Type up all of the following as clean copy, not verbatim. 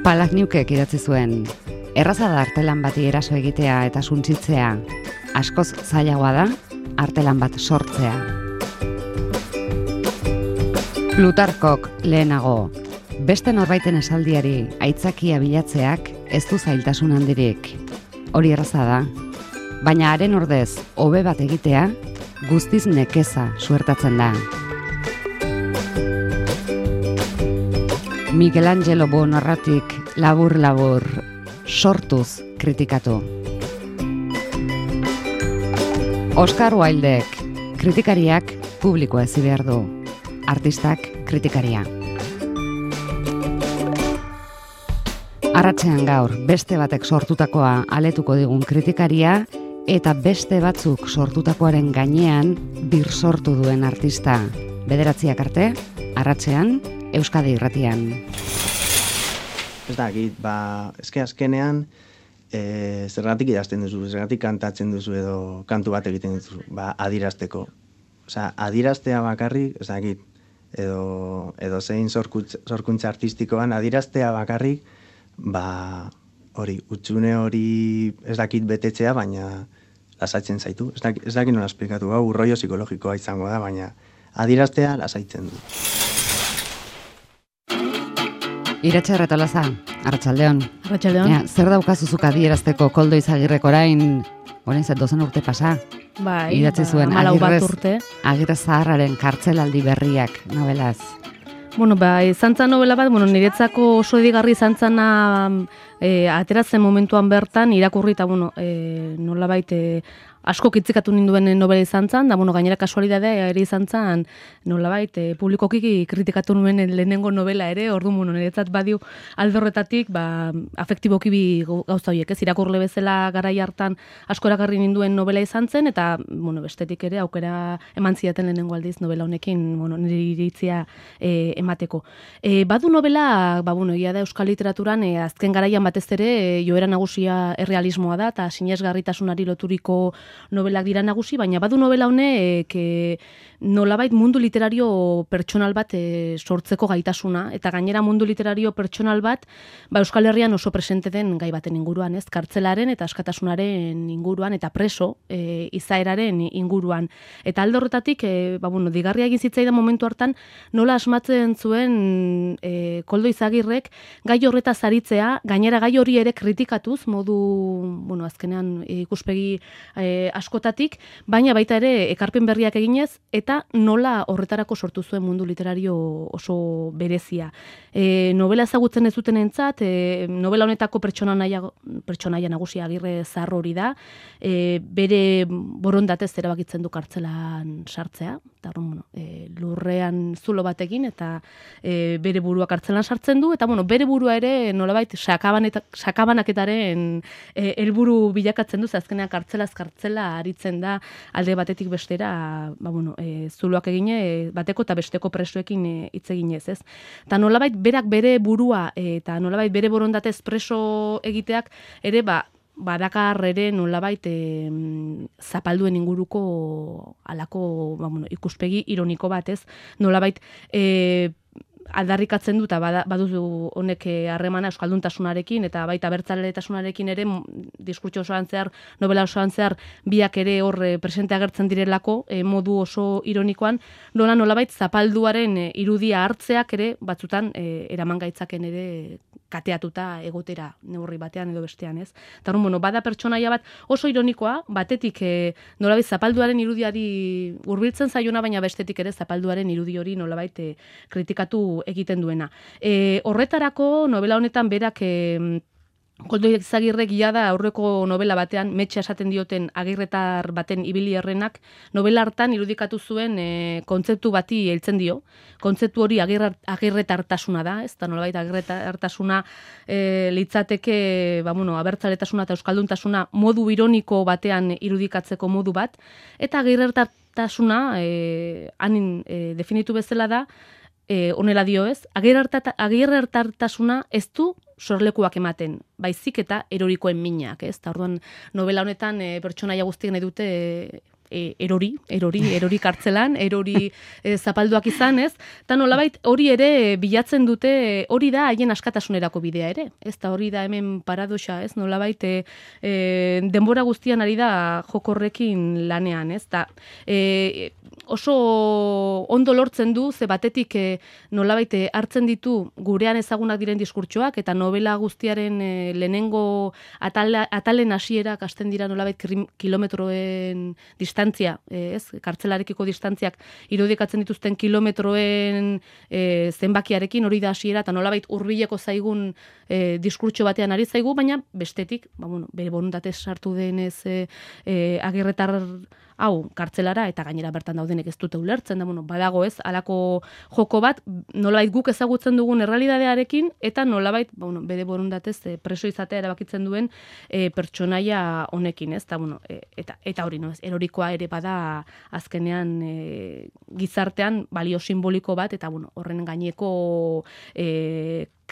Palahniukek idatzi zuen, erraza da artelan bati eraso egitea eta suntsitzea, askoz zailagoa da artelan bat sortzea. Plutarkok lehenago, beste norbaiten esaldiari aitzakia bilatzeak ez du zailtasun handirik. Hori erraza da, baina haren ordez hobe bat egitea guztiz nekeza suertatzen da. Michelangelo Buonarrotik labur-labur sortuz kritikatu. Oscar Wildek kritikariak publikoa ezi behar du, artistak kritikaria. Arratsean gaur beste batek sortutakoa aletuko digun kritikaria eta beste batzuk sortutakoaren gainean birsortu duen artista. 9 arte, arratsean, Euskadi Irratian. Ez da, eske azkenean, zergatik idazten duzu, zergatik kantatzen duzu edo kantu bat egiten duzu, adierazteko. Osea, adieraztea bakarrik, ez dakit, edo zein sorkuntza artistikoan, adieraztea bakarrik, hori, utxune hori ez dakit betetzea, baina lasaitzen zaitu. Ez dakit nola esplikatu, rollo psikologikoa izango da, baina adieraztea lasaitzen du. Iratxe Arretolaza, Arratsaldeon. Arratsaldeon. Zer daukazuzuka adierazteko Koldo Izagirrek orain zet 12 urte pasa? Bai, idatzi zuen 14 urte. Agirre Zaharraren kartzelaldi berriak nobelaz. Izan zan novela bat, niretzako oso edigarri izan zana ateratzen momentuan bertan irakurri eta nolabait asko kitzikatu ninduen novela izan zan, da gainera kasualidadea ere izan zan nolabait publikoki kritikatu nuen lehenengo novela ere, orduan niretzat badiu aldorretatik afektiboki bi gauza horiek, ez irakurle bezala garai hartan asko erakarri ninduen novela izan zen, eta bestetik ere aukera eman zidaten lehenengo aldiz novela honekin nire iritzia emateko. Badu novela, egia da euskal literaturan azken garaian batez ere joera nagusia errealismoa da, eta sinesgarritasunari loturiko novelak dira nagusi, baina badu novela honek nolabait mundu literario pertsonal bat sortzeko gaitasuna, eta gainera mundu literario pertsonal bat Euskal Herrian oso presente den gai baten inguruan, ez? Kartzelaren eta askatasunaren inguruan, eta preso izaeraren inguruan. Eta alde horretatik, digarria egin zitzaidan momentu hartan, nola asmatzen zuen Koldo Izagirrek gai horretaz aritzea, gainera gai hori ere kritikatuz, modu, azkenean ikuspegi askotatik, baina baita ere ekarpen berriak eginez, eta nola horretarako sortu zuen mundu literario oso berezia. Novela ezagutzen ez duten entzat, novela honetako pertsonaia nagusia Agirre Zahar hori da, bere borondatez erabakitzen du kartzelan sartzea, eta lurrean zulo batekin, eta bere burua kartzelan sartzen du, eta bere burua ere nolabait sakabanaketaren helburu bilakatzen du, azkenean kartzelaz kartzela aritzen da alde batetik bestera, zuloak egine, bateko eta besteko presoekin hitz eginez, ez? Eta nolabait berak bere burua eta nolabait bere borondatez preso egiteak ere, badakar ere nolabait zapalduen inguruko alako ikuspegi ironiko bat, ez? Nolabait aldarrikatzen du eta baduzu honek harremana euskalduntasunarekin eta baita abertzaletasunarekin ere diskurtso osoan zehar, novela osoan zehar biak ere hor presente agertzen direlako modu oso ironikoan, nolabait zapalduaren irudia hartzeak ere batzutan eraman gaitzaken ere kateatuta egotera neurri batean edo bestean, ez? Eta bada pertsonaia bat oso ironikoa, batetik nolabait zapalduaren irudiari hurbiltzen zaiona, baina bestetik ere zapalduaren irudi hori nolabait kritikatu egiten duena. Horretarako novela honetan berak Koldo Izagirrek da aurreko novela batean, Metxe esaten dioten agirretar baten ibili errenak, novela hartan irudikatu zuen kontzeptu bati heltzen dio. Kontzeptu hori agirretartasuna da, ez da nolabait agirretartasuna litzateke, abertzaletasuna eta euskalduntasuna modu ironiko batean irudikatzeko modu bat, eta agirretartasuna definitu bezala da, honela dio ez, agirretartasuna ez du sorlekuak ematen, baizik eta erorikoen minak, ez? Ta orduan novela honetan pertsonaia guztiek nahi dute erori kartzelan, erori zapalduak izan, ez? Eta nolabait hori ere bilatzen dute, hori da haien askatasunerako bidea ere. Ez da hori da hemen paradoxa, ez? Nolabait denbora guztian ari da jokorrekin lanean, ez? Da, oso ondo lortzen du, ze batetik nolabait hartzen ditu gurean ezagunak diren diskurtsoak, eta novela guztiaren lehenengo atalen hasierak hasten dira nolabait kilometroen distantzia, ez? Kartzelarekiko distantziak irudikatzen dituzten kilometroen zenbakiarekin hori da hasiera, eta nolabait hurbileko zaigun diskurtso batean ari zaigu, baina bestetik, bere borondatez sartu denez agirretar hau kartzelara, eta gainera bertan daudenek ez dute ulertzen, da, badago ez, halako joko bat, nolabait guk ezagutzen dugun errealitatearekin, eta nolabait, bere borondatez preso izatea erabakitzen duen pertsonaia honekin, ez, eta hori, no, ez, erorikoa ere bada azkenean gizartean balio simboliko bat, eta horren gaineko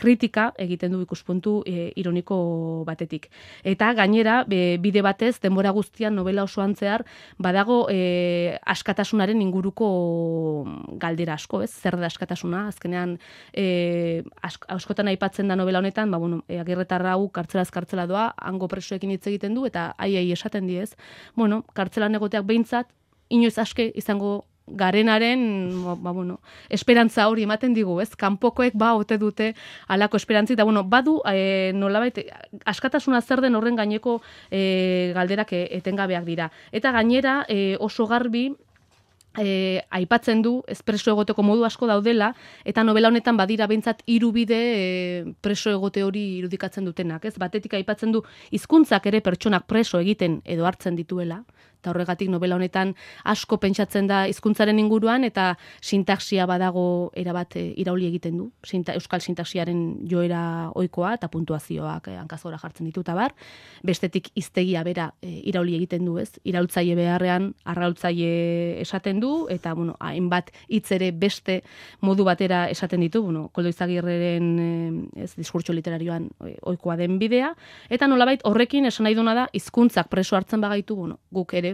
kritika egiten du ikuspuntu ironiko batetik. Eta gainera, bide batez, denbora guztian novela osoan zehar, badago askatasunaren inguruko galdera asko, ez? Zer da askatasuna? Azkenean, askotan aipatzen da novela honetan, Agirretarra hau kartzelaz kartzela doa, hango presoekin hitz egiten du, eta aiei esaten diez. Kartzelan egoteak behintzat, inoiz aske izango garenaren, esperantza hori ematen digu, ez? Kanpokoek ote dute halako esperantzi, eta badu nolabait askatasuna zer den horren gaineko galderak etengabeak dira. Eta gainera oso garbi aipatzen du preso egoteko modu asko daudela, eta novela honetan badira behintzat 3 bide preso egote hori irudikatzen dutenak, ez? Batetik aipatzen du hizkuntzak ere pertsonak preso egiten edo hartzen dituela, eta horregatik novela honetan asko pentsatzen da hizkuntzaren inguruan, eta sintaxia badago erabat irauli egiten du. Euskal sintaxiaren joera ohikoa eta puntuazioak hankazgora jartzen ditu eta bar. Bestetik hiztegia bera irauli egiten du, ez? Iraultzaile beharrean arraultzaile esaten du, eta hainbat hitz ere beste modu batera esaten ditu, Koldo Izagirreren diskurtso literarioan ohikoa den bidea, eta nolabait horrekin esan nahi duna da hizkuntzak preso hartzen bagaitu, guk ere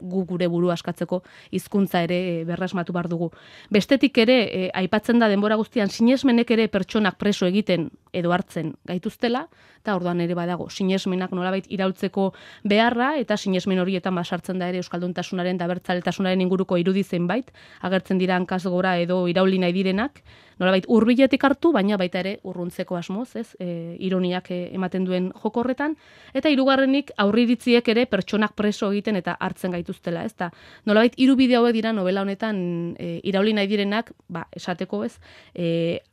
gure buru askatzeko hizkuntza ere berrasmatu bar dugu. Bestetik ere aipatzen da denbora guztian sinesmenek ere pertsonak preso egiten edo hartzen gaituztela, eta orduan ere badago sinesmenak nolabait iraultzeko beharra, eta sinesmen horietan basartzen da ere euskalduntasunaren eta abertzaletasunaren inguruko irudi zenbait, agertzen dira hankazgora edo irauli nahi direnak, nolabait hurbiletik hartu, baina baita ere urruntzeko asmoz, ez? Ironiak ematen duen joko horretan, eta hirugarrenik aurreiritziek ere pertsonak preso egiten eta hartzen gaituztela, ez? Ta nolabait 3 bide hauek dira novela honetan irauli nahi direnak, esateko, ez?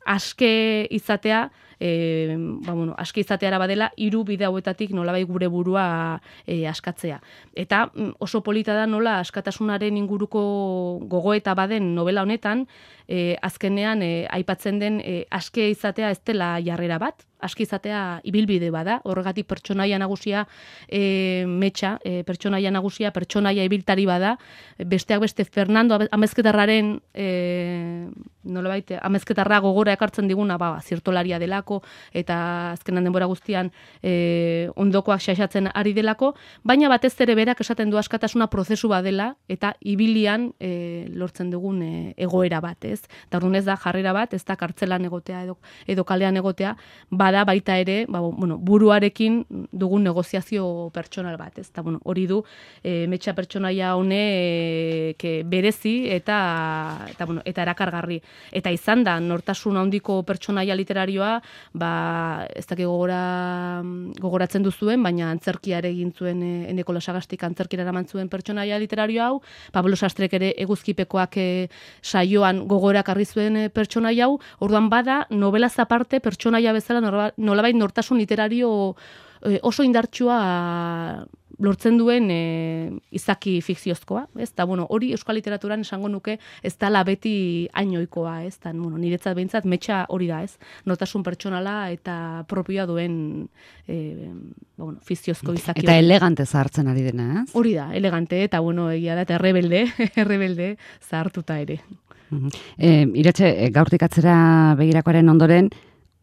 Aske izatea, aske izateara badela 3 bide hauetatik nolabait gure burua askatzea. Eta oso polita da nola askatasunaren inguruko gogoeta baden novela honetan, azkenean aipatzen den aske izatea ez dela jarrera bat, aski izatea ibilbide bada, horregatik pertsonaia nagusia metxa, pertsonaia ibiltari bada, besteak beste Fernando Amezketarraren nolabait Amezketarra gogora ekartzen diguna, zirtolaria delako, eta azkenan denbora guztian ondokoak xaxatzen ari delako, baina batez ere berak esaten du askatasuna prozesu badela, eta ibilian lortzen dugun egoera bat, ez? Eta orduan ez da jarrera bat, ez da kartzelan egotea edo kalean egotea, bada baita ere, buruarekin dugun negoziazio pertsonal bat, ez? Eta hori du metxa pertsonaia honek berezi eta erakargarri. Eta izan da, nortasun handiko pertsonaia literarioa, ez dakik gogoratzen duzuen, baina antzerkiare egin zuen Eneko Lasagaztik antzerkira eraman zuen pertsonaia literarioa hau, Pablo Sastrek ere eguzkipekoak saioan gogorak arri zuen pertsonaia hau, orduan bada, novelaz aparte pertsonaia bezala nolabait nortasun literario oso indartsua lortzen duen izaki fikziozkoa, ez? Ta hori euskal literaturan esango nuke ez dela beti hainoikoa, ez? Ta niretzat behintzat metxa hori da, ez? Nortasun pertsonala eta propioa duen fikziozko izaki. Eta elegante zahartzen ari dena, ez? Hori da, elegante, eta egia da, eta errebelde zahartuta ere. Iratxe, gaurtik atzera begirakoaren ondoren,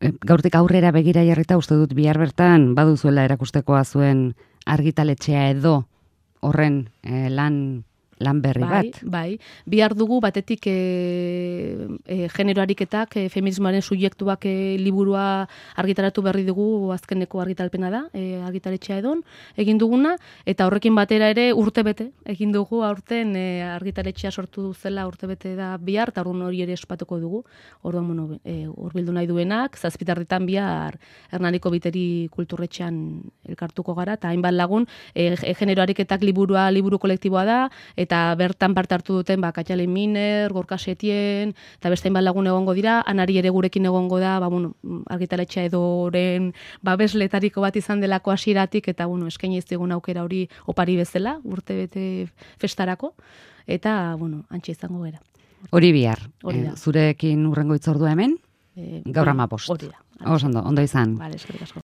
gaurtik aurrera begira jarrita uste dut bihar bertan baduzuela erakustekoa zuen argitaletxea edo horren lan lan berri bat. Bai, bihar dugu batetik genero ariketak, feminismoaren subjektuak liburua argitaratu berri dugu, azkeneko argitalpena da, argitaletxea edon, egin duguna, eta horrekin batera ere urtebete egin dugu aurten argitaletxea sortu zela urtebete da bihar, eta orduan hori ere espatuko dugu, orduan hurbildu nahi duenak, zazpitarritan bihar Hernaniko Biteri kulturretxean elkartuko gara, eta hainbat lagun, genero ariketak liburu kolektiboa da, eta bertan parte hartu duten Katxale Miner, Gorka Setien, eta beste hainbat lagun egongo dira, Anari ere gurekin egongo da, argitaletxea edoren babesletariko bat izan delako hasieratik, eta eskaini ez digun aukera hori opari bezala, urte bete festarako, eta antxe izango gara. Hori bihar, zurekin urrengo itzordua hemen, gaur 15. Hori da. Ondo izan. Vale, eskerrik asko.